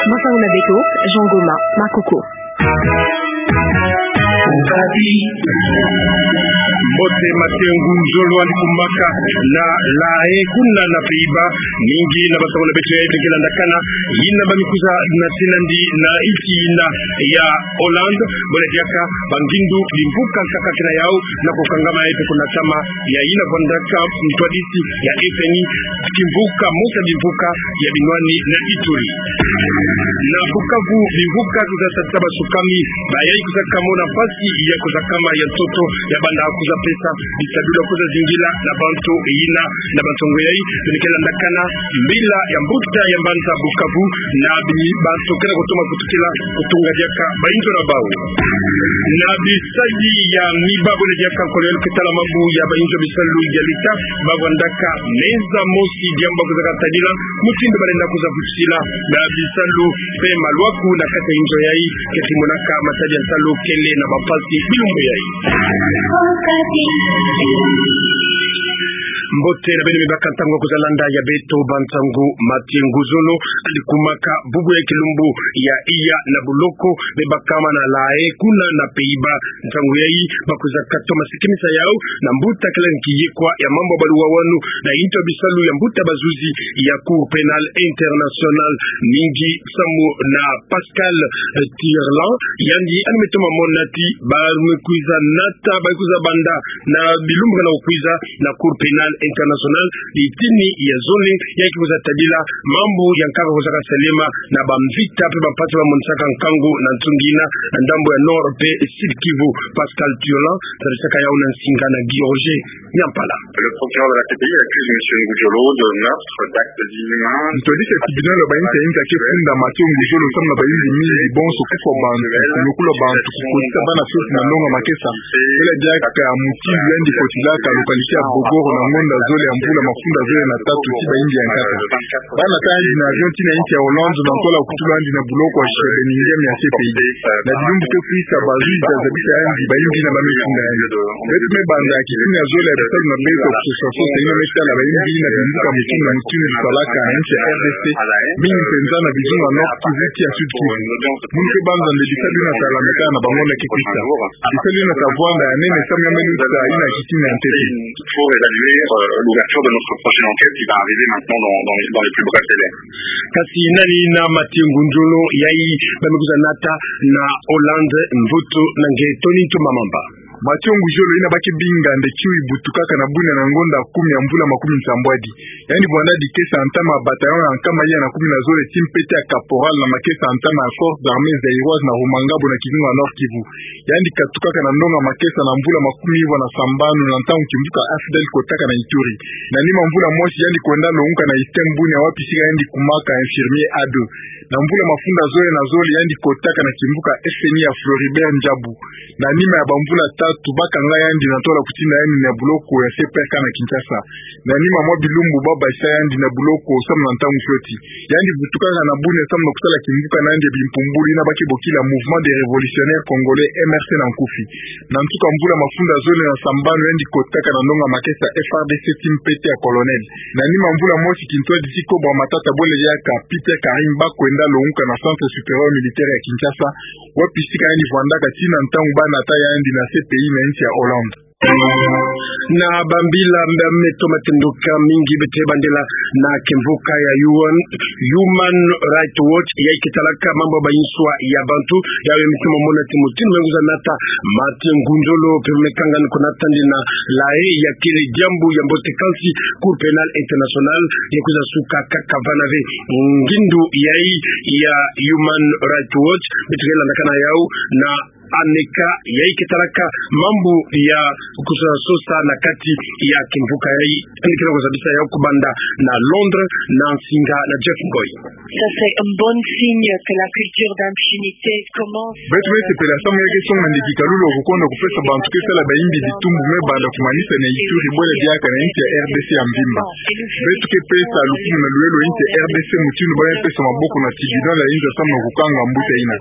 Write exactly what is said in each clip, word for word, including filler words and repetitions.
Masangu na beto, Jean Goma, Makoko. Mbote, matengu nzolo yandi kumaka na La Haye kuna na Pays-Bas, mingi na basangu na beto yai beno ke landakana, yina ba mikwiza natina nandi na insi yina ya Hollande, bole diaka bangindu bimvuka nkaka kina yau na kukangama yai mpe kunatama ya yina vwandaka ntwadisi ya F M I, kimvuka, mbote ya bimvuka ya binwani na Ituri. Na Bukavu, bimvuka kwiza tata basukami, bayai kwiza kamona mpasi ya kwiza kama ya ntoto ya banda kwiza pesa bisalu ya kwiza zingila na bantu yina na bantongo yai, beno ke landakana mbila ya mbuta ya mbanza Bukavu, na bi-, bantu ke na kutoma kutukila kutunga diaka bainzo na bau. Na bisadi ya miba, bole diaka nkolo yandi ke tala mambu ya bainzo bisalu ya leta, bavwandaka meza mosi, diambu ba kwizaka tadila mutindu balenda kwiza vutisila na bisalu mpe malwaku na kati ya inzo yai, keti monaka matadi ya nsalu kele na bampasi bilumbu yai. Mbote na beno, mi baka ntangu ya kwiza landa ya beto bansangu. Matengu nzolo yandi kumaka bubu ya kilumbu ya iya na buloko, me bakama na La Haye kuna na Pays-Bas. Ntangu yai ba kwiza katoma sikimisa yau na mbuta kele nki yikwa ya mambu ya baluwawanu na inzo ya bisalu ya mbuta bazuzi ya Cour pénale internationale, mingi samu na Pascal, eh, Tirlan, yandi yandi me toma mona ti ba me kwiza nata, ba kwiza banda na bilumbu ke na kukwiza na Cour pénale internationale, litini ya zole, ya ke kwiza tadila mambu ya nkaka kwizaka salema na bamvita mpe bampasi ba monisaka nkangu na ntunga yina na ndambu ya Nord mpe Sud Kivu. Pascal Tirlan, tadisaka yau na nsinga na Guy Roger Nyampala. Le procureur de la C P I accuse monsieur Ngudjolo de meurtre, d'actes inhumains. Ntwadisi ya tribunal ya bainsi ya inza ke funda Mathieu Ngudjolo samu na bayimbi mingi bonso kufwa bantu, kunyokula bantu, kukotisa bana fioti na ndonga makesa, bole diaka mutindu yandi kotilaka localité ya Bogoro na ngonda zole ya mvula mafunda zole na tatu ti bayimbi ya nkaka. Ba nata yandi na avion tii na insi ya Hollande na ntwala kutula yandi na buloko ya Schrebeninghem ya C P I. Na bilumbu ke kwisa, bazuzi bazabisa yandi, bayimbi yina ba me funda yandi. Beto me banza ya kitini ya zole ya bisalu na beto ya kusosa sosa yina me tala bayimbi yina bimvuka mutindu na mutindu bisalaka na insi ya R D C, mingi mpenza na bizunga Nord Kivu tii ya Sud Kivu. Munu ke banza nde bisalu yina ta landakana na bangonda ke kwisa. Bisalu yina ta vwanda ya nene samu ya me luta yina ya kitini ya ntete. Pour évaluer, euh, l'ouverture de notre prochaine enquête qui va arriver maintenant dans, dans les, dans les plus brefs délais. Kasi nani na Mathieu Ngudjolo yai ba me kwiza nata na Hollande, mvutu na nge Tony Ntumamamba. Mathieu Ngudjolo yina ba ke binga nde Kiwi butukaka na bunia na ngonda kumi ya mvula makumi nsambwadi. Yandi vwanda dikesa ya ntama ya bataillon ya nkama iya na kumi na zole ti mpete ya caporal na makesa ya ntama ya Forces Armées Zaïroises na Rumangabo na kizunga Nord Kivu. Yandi katukaka na ndonga makesa na mvula makumi ivwa na sambanu na ntangu kimvuka A F D L kotaka na Ituri. Na nima mvula mosi yandi kwenda longuka na Eastern Bunia wapi sika yandi kumaka infirmier A deux. Na mvula mafunda zole na zole yandi kotaka na kimvuka F N I ya Floribert Ndjabu. Na nima ya bamvula tatu ba kanga yandi na ntwala kutinda yandi na buloko ya C P R K na Kinshasa. Na nima mwa bilumbu ba basisa yandi na buloko samu na ntangu fioti. Yandi vutukaka na bunia samu na kusala kimvuka na yandi ya bimpumbulu yina ba ke bokila Mouvement des Révolutionnaires Congolais, M R C na nkufi. Na nsuka mvula mafunda zole na sambanu yandi kotaka na ndonga makesa F A R D C ti mpete ya colonel. Na nima mvula mosi kintwadi ti Cobra Matata bole diaka Peter Karim ba kwenda longuka na Centre Supérieur Militaire ya Kinshasa, wapi sika yandi vwandaka tii na ntangu ba nata yandi na C P I na insi ya Hollande. Na bambila mbe me toma tenduka mingi beto ke bandela na kimvuka ya U N, Human Rights Watch, yai ke talaka mambu ya banswa ya bantu, yai me toma mona ti mutindu me kwiza nata Mathieu Ngudjolo mpe me kangani kunata yandi na La Haye, ya kele diambu ya mbote kansi Cour pénale internationale ya kwiza suka kaka vana ve. Ngindu yai ya Human Rights Watch, beto ke landakana yau na Aneka, yai ke talaka mambu ya kusosa sosa na kati ya kimvuka yai, yandi ke na kuzabisa yau kubanda na Londres, na nsinga na Jeff Ngoy. Ça, c'est un bon signe que la culture d'impunité commence. Beto me sepela samu ya ke songa nde kikalulu ya kukonda kupesa bantu ke sala bayimbi bitumbu me banda kumanisa na Ituri bole diaka na insi ya R D C ya mvimba. Beto ke pesa lukumu na lulendo insi ya R D C mutindu ba me pesa maboko na tribunal ya insi ya samu na kukanga mbuta yina.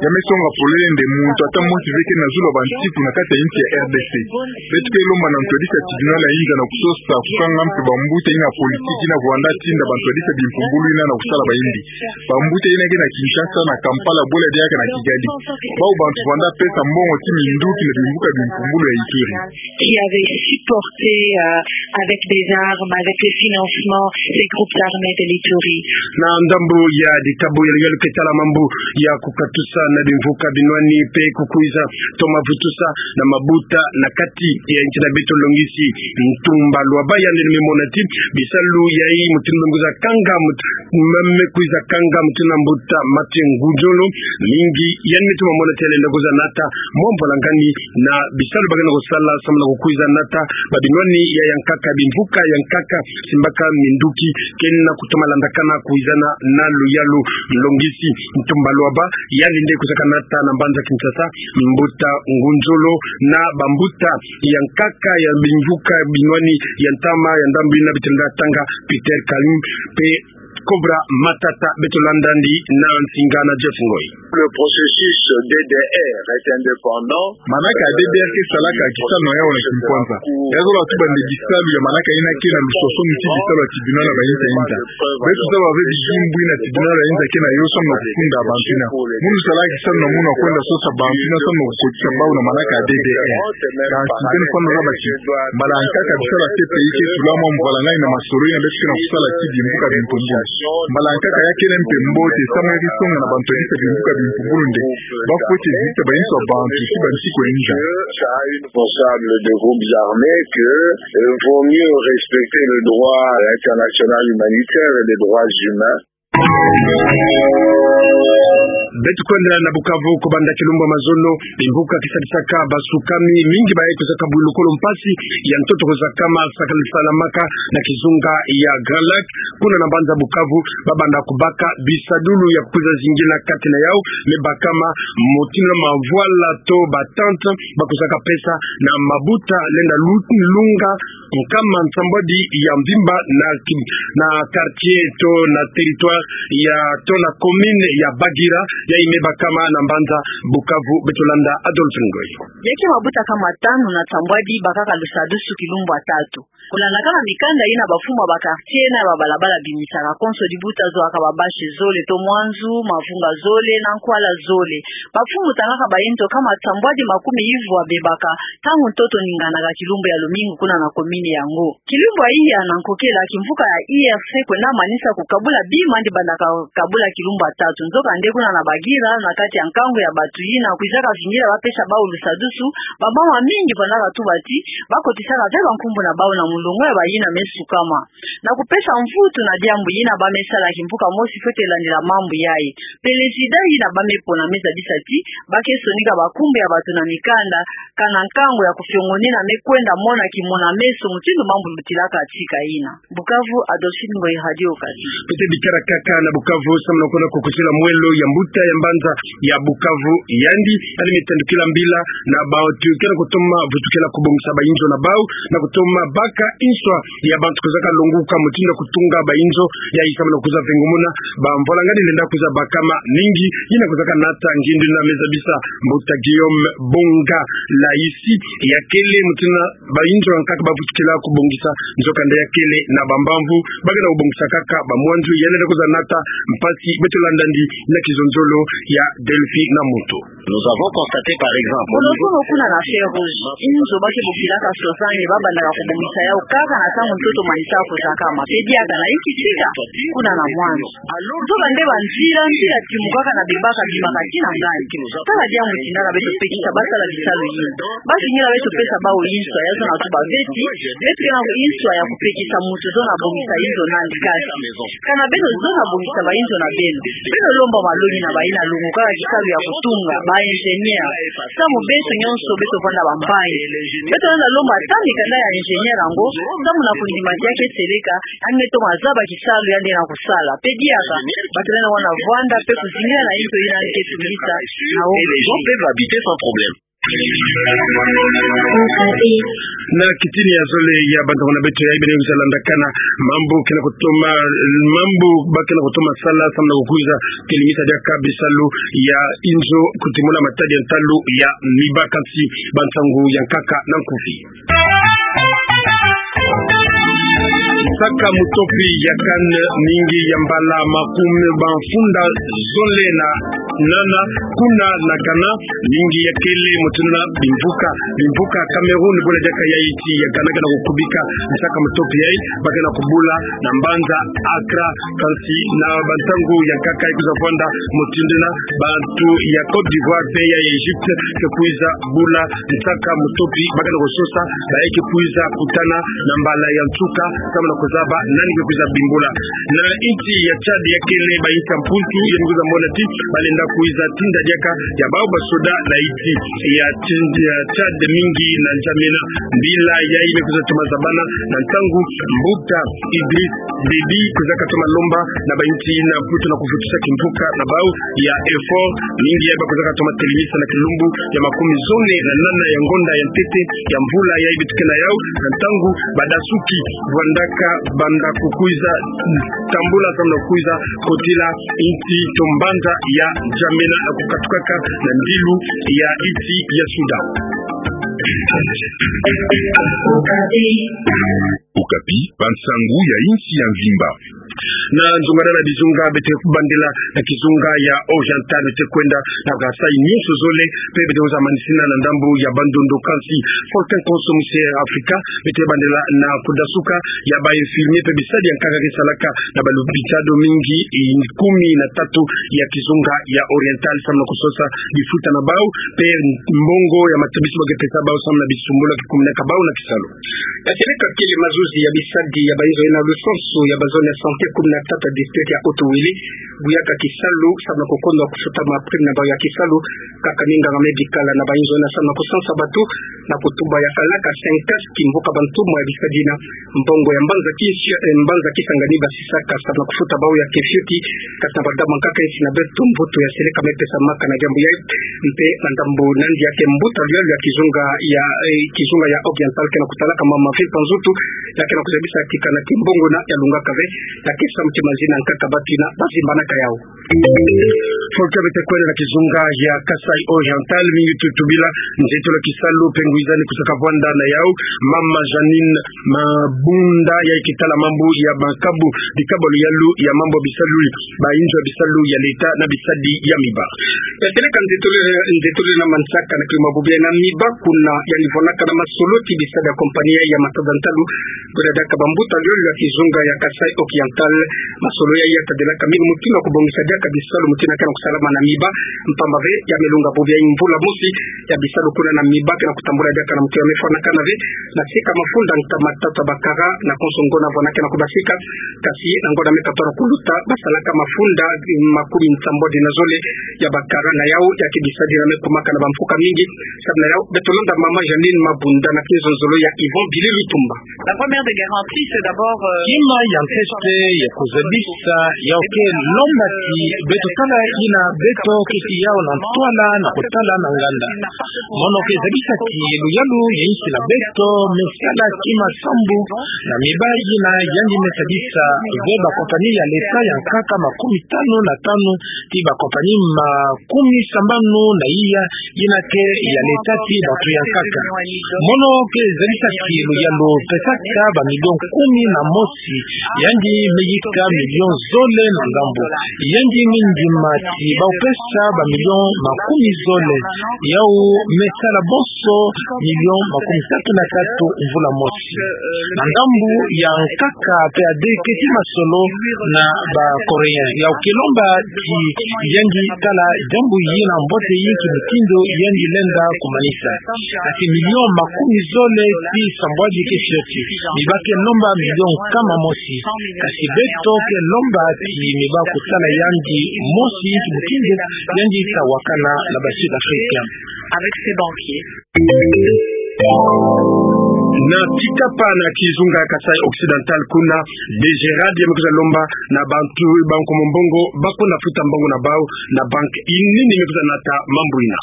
Ya me songa polele nde muntu Tata Moïse Mveke na zulu ya bansiku na kati ya insi ya R D C. Beto ke lomba na ntwadisi ya tribunal ya inza na kusosa kukanga mpe bambuta yina politiki yina kuvanda tinda bantwadisi ya bimpumbulu yina na kusala bayindi. Bambuta yina ke na Kinshasa, na Kampala, bwela diaka na Kigali. Bawu bantu vanda pesa mbongo ti minduki na bimvuka bimpumbulu ya Ituri. Qui avait supporté, euh, avec des armes, avec les financements, ces groupes armés de l'Ituri. Na ndambu ya ditabu ya luyalu ke tala mambu ya kukatusa na bimvuka binwani mpe kukwiza toma vutusa na mabuta na kati ya insi na beto. Longisi Ntumba Luaba yandi ni me mona ti bisalu yayi mutindu nguza kanga mut-, mame kwiza kanga mutindu na mbuta Mathieu Ngudjolo, mingi yandi me tuma mona ti yalenda kwiza nata mwa mvwalangani na bisalu ba kena kusala samu na kukwiza nata ba binwani ya yankaka, bimvuka yankaka, simbaka minduki kena kutoma landakana kwizana na luyalu. Longisi Ntumba Luaba yandi nde kwizaka nata na mbanza Kinshasa mbuta Ngudjolo na bambuta yankaka ya bimvuka binwani ya ntama ya ndambu yina, beto lenda tanga Peter Kalu mpe Cobra Matata. Beto landa yandi na nsinga na Jeff Ngoyi. Le processus D D R est indépendant. Manaka ya D D R ke salaka kisaleno yau na kimpwanza. Ya zola tuba nde bisalu ya manaka yina ke na luswaswani ti bisalu ya tribunal ya ba inza inza. Beto zaba ve bidimbu yina tribunal ya inza ke na yo samu na kufunda bantu yina. Munu salaka kisaleno munu kwenda sosa bantu yina samu na kukotisa bawu na manaka ya D D R. Kansi beno fwana zaba ti mbala yankaka bisalu ya C P I ke tula mwa mvwalangani na masolo yina beto ke na kusala ti bimvuka bimpumbulu. Mbala yankaka ya kele mpe mbote samu ya ke songa na bantwadisi ya bimvuka bimpumbulu nde ba fweti zita ba inzo ya bantu ti bansiku ya inza. Ça a une responsable de groupes armés que, euh, vaut mieux respecter le droit international humanitaire et les droits humains. Beto kwenda na Bukavu kubanda kilumbu ya mazono, bimvuka ke sadisaka basukami mingi baye kwizaka bwilukolo mpasi ya ntoto kwizakama sakali salamaka na kizunga ya Grand Lac. Kuna na mbanza Bukavu, babanda kubaka bisadulu ya kwiza zingila kati na yau, me bakama mutindu na mavwala to ba tente, bakwizaka pesa na mabuta lenda lu-, lunga nkama nsambwadi ya mvimba na ki-, na quartier to na territoire ya, to na commune ya Bagira, yayi me bakama na mbanza Bukavu. Beto landa Adolphe Ngoyi. Ya ke mabuta kama tanu na nsambwadi bakaka lusadusu kilumbu ya tatu. Kulandakana na mikanda yina bamfumu ya ba quartier na ya ba balabala bimisaka, konso dibuta zwaka babashe zole to mwanzu, mavunga zole na nkwala zole. Bamfumu tangaka bainzo kama nsambwadi makumi ivwa bebaka ntangu ntoto ninganaka kilumbu ya lumingu kuna na commune yango. Kilumbu ya iya na nkokela, kimvuka ya I R C kwenda manisa kukabula bima yandi bandaka kabula kilumbu ya tatu. Nzokande kuna na Bagira, na kati ya nkangu ya bantu yina kwizaka zingila bapesa bawu lusadusu, bamama mingi vandaka tuba ti bakotisaka ve bankumbu na bawu na mulongo ya bayina me sukama. Na kupesa mvutu na diambu yina, ba me sala kimvuka mosi fwete landila mambu yayi. Prezida yina ba me pona me zabisa ti ba ke sonika bankumbu ya bantu na mikanda, kana nkangu ya kufiongonina me kwenda mona kimona meso mutindu mambu lutilaka tika yina. Bukavu, Adolphine Ngoyi, Radio Okapi. Pete bikala kaka na Bukavu, samu na kwenda kukutila mwelo ya mbuta ya mbanza ya Bukavu, yandi yandi me tandukila mbila na bantu ke na kutoma vutukila kubongisa bainzo na bawu, na kutoma baka inswa ya bantu kwizaka longuka mutindu ya kutunga bainzo, yayi samu na kwiza vengumuna bamvwalangani lenda kwiza bakama mingi. Yina kwizaka nata ngindu yina me zabisa mbuta Guillaume Bonga Laisi, ya kele mutindu na bainzo yankaka bavutukila kubongisa, nzokande ya kele na bambamvu ba ke na kubongisa kaka bamwanzu. Yandi lenda kwiza nata mpasi. Beto landa yandi na kizonzolo ya Delphi na Mutu. Nous avons constaté, par exemple, au niveau... Kuna na Feu Rouge, inzo ba ke bokilaka sozani, babandaka kubongisa yau kaka na ntangu ntoto manisa kuzakama. Pe diaka na inki tika, kuna na mwanzu. Nzokande banzila, nzila timukaka na bebaka bimaka tii na ngani. Tala diambu tindaka beto pekisa basala bisalu yina. Ba zingila beto pesa bawu inswa, ya zona tuba ve ti beto ke na inswa ya kupekisa mutu zona bongisa inzo nandi kasi. Kana beno zona bongisa bainzo na beno, beno lomba malongi na bayina longukaka kisalu ya kutunga, ba ingénieur. Samu beto nyonso beto vanda bampangi. Beto lenda lomba ata mikanda ya ingénieur yango, samu na kundima ti ya ke seleka, yandi me toma zaba kisalu yandi na kusala. Pe diaka, bato lenda wana vwanda pe kuzingila na inzo yina yandi ke tungisa na wo. Et les gens peuvent habiter sans problème. Na kitini ya zole ya bantu na beto ya, beno kwiza landakana mambu kena kutoma, mambu ba kena kutoma sala samu na kukwiza telimisa diaka bisalu ya inzo kutimuna matadi ya ntalu ya miba, kansi ba nsangu ya nkaka na nkufi. Nsaka mutopi ya CAN, mingi ya mbala makume mafunda zole na nana kuna na Ghana, mingi ya kele mutindu na bimvuka, bimvuka Cameroun, bula diaka ya insi ya Ghana kena kukubika nsaka mutopi yayi, ba kena kubula na mbanza Accra, kansi na ba ntangu ya nkaka ikwiza vwanda mutindu na bantu ya Côte d'Ivoire mpe ya Egypte ke kwiza bula nsaka mutopi, ba kena kusosa bayi ke kwiza kutana na mbala ya nsuka samu na kuzaba nani ke kwiza bimbula. Na insi ya Tchad ya kele ba insi ya Mputu, ya kwiza mona ti balenda kwiza tinda diaka ya bau ba soda na insi ya Tchad, ya Tchad mingi na N'Djamena. Mbila yayi me kwiza toma zabana na ntangu mbuta Idriss Déby kwiza katoma lomba na ba insi na Mputu na kuvutisa kimvuka na bau ya effort. Mingi yayi ba kwiza katoma telimisa na kilumbu ya makume zole na nana ya ngonda ya ntete ya mvula yayi beto ke na yau, na ntangu badasuki vwandaka banda kukwiza tambula samu na kukwiza kotila insi to mbanza ya N'Djamena na kukatukaka na ndilu ya insi ya Soudan. Okapi, ba nsangu ya insi ya mvimba. Na nzunga na bizunga beto ke kubandela na kizunga ya Oriental, beto ke kwenda na Kasaï nyonso zole, mpe beto kwiza manisina na ndambu ya Bandundu, kansi Volcan Konso musi Afrika, beto ke bandela na kudasuka ya ba infirmier mpe bisadi ya nkaka ke salaka na ba lopitalo mingi, eh, kumi na tatu ya kizunga ya Oriental samu na kusosa bifuta na bau mpe mbongo ya matabisi ba ke pesa bau samu na bisumbulu ke kuminaka bau na kisalu. Ya seleka kele mazuzi ya bisadi ya ba inzo ina lusansu ya ba zone ya santé kumi na tatu ya district ya Haut-Uele, buyaka kisalu samu na kukondo kufuta ma prime na bau ya kisalu, kaka minganga médical na ba inzo ina samu na kusansa bato na kutuba ya kalaka cinq casques, mvuka bantumwa ya bisadi ina, mbongo ya mbanza kisi, eh, mbanza Kisangani basisaka samu na kufuta bau ya ke fioti, kasi na ba ndambu ya nkaka insi na beto mvutu ya seleka me pesamaka na diambu yayi, mpe na ndambu nandi ya ke mbuta luyalu ya kizunga ya, eh, kizunga ya Oriental kena kutalaka mama Philippe Nzutu, ya kena kuzabisa ti kana ki mbongo ina ya lungaka ve, ya ke samu ti mazi na nkaka bato ina bazimbanaka yau. Volcan beto ke kwenda na kizunga ya Kasaï Oriental, mingi tutubila nzietolo ya kisalu mpe ngwizani kusaka vwanda na yau, mama Jeanine Mabunda, yayi ke tala mambu ya makabu, bikabu luyalu ya mambu bisalu, ba inzo ya bisalu ya leta na bisadi ya miba. Ya seleka nzietolo, nzietolo na manisaka na kilumbu ya biena miba kuna, yandi vwanaka na masolo ti bisadi ya compagnie ya matada ntalu, bula diaka ba mbuta luyalu ya kizunga ya Kasaï Oriental. Masolo yayi ya tadelaka mingi mutindu ya kubongisa diaka bisalu mutindu ya kena kusalama na miba, mpamba ve ya me lunga bubu ya mvula mosi ya bisalu kuna na miba kena kutambula diaka na mutindu ya me fwanakana ve, na sika mafunda nkama tatu ya bakara na konso ngona vwana kena kubasika, kasi na ngona me katona kuluta basalaka mafunda, eh, makumi nsambwadi na zole ya bakara na yau, ya ke bisadi ina me kumaka na ba mfuka mingi, samu na yau beto landa mama Jeanine Mabunda na kizonzolo ya Yvon Bili Lutumba. La première des garanties, c'est d'abord, euh, kima ya ntete ya kuzabisa, yau ke lomba ti beto tala ina beto keti yau na ntwala na kutala na nganda. Mono ke zabisa ti luyalu ya insi na beto me sala kima sambu na miba ina yandi me sadisa ve ba compagnie ya leta ya nkaka makumi tanu na tanu, ti ba compagnie makumi sambanu na iya ina ke ya leta ti bato ya nkaka. Mono ke zabisa ti luyalu pesaka ba million kumi na mosi, yandi me yika million zole na ndambu. Yandi me ndima ti bau pesa ba million makumi zole, yau me sala bonso million makumi tatu na tatu mvula mosi. Na ndambu ya nkaka pe ade keti masolo na ba Coréens. Yau ke lomba ti yandi tala diambu yina mbote yi ki mutindu yandi lenda kumanisa. Kasi million makumi zole ti sambwadi ke fioti. Miba ke lomba million nkama mosi. Kasi beto ke lomba ti miba kutala yandi mosi ki mutindu yandi ta wakana na ba Sud-Africains. Avec ses banquiers. Na tikapa na kizunga Kasaï Occidental kuna, DGRAD ya me kwiza lomba na bantu ba nkomo mbongo ba kuna futa mbongo na bau na banque. Nini me kwiza nata mambu ina?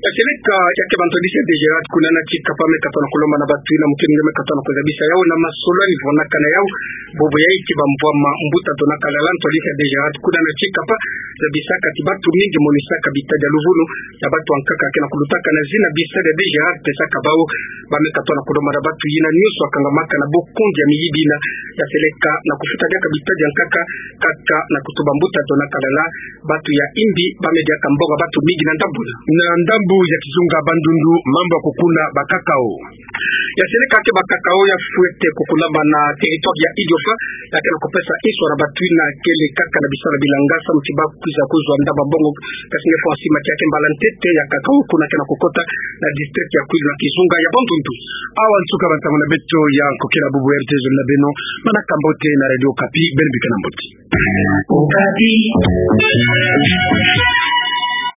Ya seleka, ya ke bantu disi ya DGRAD kuna na tikapa me katona kulomba na batu ina mukini nge me katona kuzabisa yau na masolo ni vonaka na yau. Bobo ya iti ba mvwama mbuta tona kalala, ntwali ya DGRAD kuna na tikapa zabisaka ti batu mingi monisaka bitadi ya luvunu ya batu ankaka kena kulutaka na zina bitadi ya DGRAD pesaka bau. Ba me katona kulomba na batu ina nionso akangamaka na bokonzi ya miyibi ina ya seleka na kufuta diaka bitadi ankaka, kaka na kutuba mbuta tona kalala, batu ya imbi ba me diaka mbongo batu mingi na ndambu ina. Na ndambu ya kizunga Bandundu, mambu ya kukuna ba cacao. Ya seleka ke ba cacao ya fwete kukunama na territoire ya Idiofa, ya kena kupesa inswa na batu ina kele kaka na bisala bilanga samu ti ba kwiza kuzwa ndamba mbongo. Kasi nge fwa nsima ti ya ke mbala ntete ya cacao kuna kena kukota na district ya Kwilu na kizunga ya Bandundu. Awa nsuka ba nsangu na beto ya nkokila bubu. R T Z na beno, mana ka mbote na Radio Okapi, beno bika na mbote. Okapi.